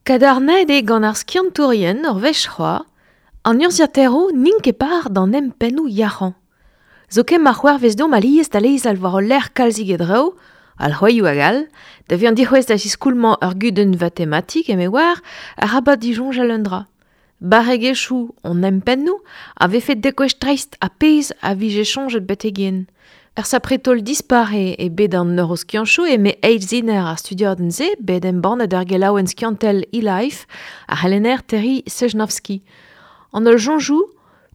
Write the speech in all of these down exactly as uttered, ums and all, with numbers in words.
Kadarnaet eo gant ar skiantourien ur wech c'hoazh, an urzhiataeroù n'int ket par d'an empennoù yac'hañ. Zoken ma c'hoarvez deomp alies da lezel war ul lec'h kalzik e draoù, al c'hoaioù hag all, da vezañ dic'houest da ziskoulmañ ur gudenn vatematik eme oar, arabat disoñjal un dra. Barregezhioù hon empennoù a vefe degouezh dreist ha pezh a vije soñjet betek-henn. Ur sapre-taol dispar eo e bed an neuroskiantoù eme eilziner ar studiadenn-se bet embannet er gelaouenn skiantel eLife ar c'helenner Terry Sejnowski. An holl soñjoù,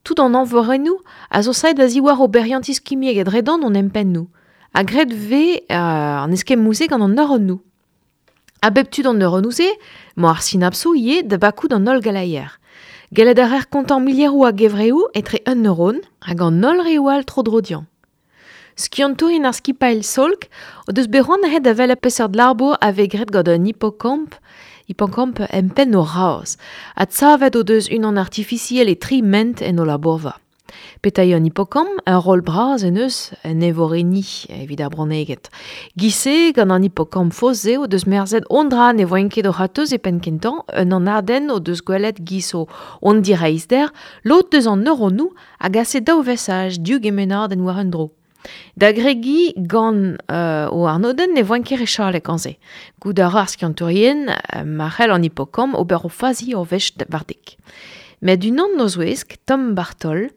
tout an eñvorennoù a zo saet a-ziwar oberiantiz kimiek e-dredan hon empennoù. Ha graet vez euh, an eskemmoù-se gant an neuronoù. A bep tu d'an neuronoù-se, emañ ar sinapsoù ivez da bakout an holl galeier. Gellet a reer kontañ milieroù a gevreoù etre un neuron hag an holl reoù all tro-dro dezhañ. Skiantourien ar skipailh Salk o deus bet c'hoant aet da welet peseurt labour a vez graet gant un hipokamp, hipokamp empenn o razh. Adsavet o deus unan artifisiel e tri ment en o labourva. Petra eo an hipokamp, ur roll bras en eus en evorenniñ evit ar bronneged. Giz-se, gant an hipokamp faos-se o deus merzet hon dra ne voent ket o c'hatoz e penn kentañ, un anadenn o deus gwelet giz o hon direizhder, lod deus an neuronoù a gase daou vesaj div gemennadenn war un dro. Da gregiñ gant euh, o arnodenn ne voent ket re chalet gant se. Goût a ra ar skiantourien euh, ma c'hell an hipokamp ober o fazi ur wech war dek. Met unan o zouesk, Tom Bartol,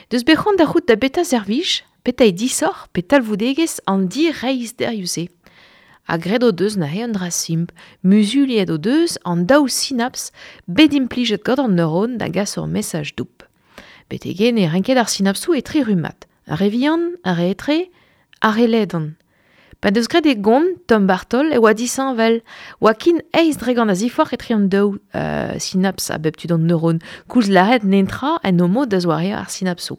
deus bet c'hoant da c'hoût da beta servij, peta e disoc'h pe talvoudegezh an direizhderioù-se. Ha graet o deus neuze un dra simpl, muzuliet o deus an daou sinaps bet implijet gant an neuron da gas ur mesaj doub. Betek-henn e renket ar sinapsoù e tri rummad. Ar re vihan, ar re etre, ar re ledan. Pa deus graet e gont, Tom Bartol, e oa disheñvel. Oa kin eizh dregont a ziforc'h etre an daou euh, sinaps a bep tu d'an neuron. Koulz lâret netra en o mod da zoareañ ar sinapsoù.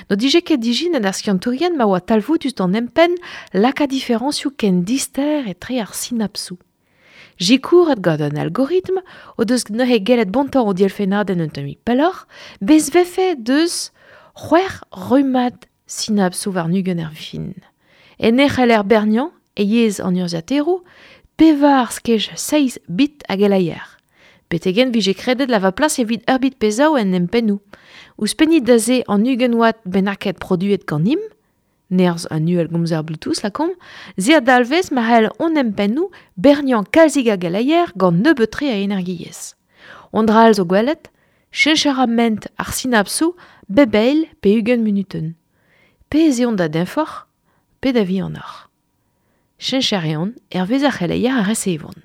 N'o dije ket dijinet ar skiantourien ma oa talvoudus d'an empenn lakaat diferañsioù ken dister etre ar sinapsoù. Sikouret gant un algoritm o deus neuze gellet bontañ o dielfennadenn un tammig pelloc'h, bez vefe deus c'hwec'h rummad sinapsoù warn-ugent er fin. En e c'heller berniañ e yezh an urzhiataeroù, pevar skej seizh bit a geleier. Betek-henn vije kredet la va plas evit ur bit pe zaou en empennoù. Ouzhpennit da se an ugent watt bennaket produet ganimp, nerzh un uhelgomzer Bluetooth lakaomp, se a dalvez ma c'hell hon empennoù berniañ kalzik a geleier gant nebeut-tre a energiezh. Hon dra all zo gwelet, cheñch a ra ment ar sinapsoù bep eil pe ugent munutenn. Pe ez eont da deñvoc'h, pe da vihanoc'h. Cheñch a reont hervez ar c'heleier a resevont.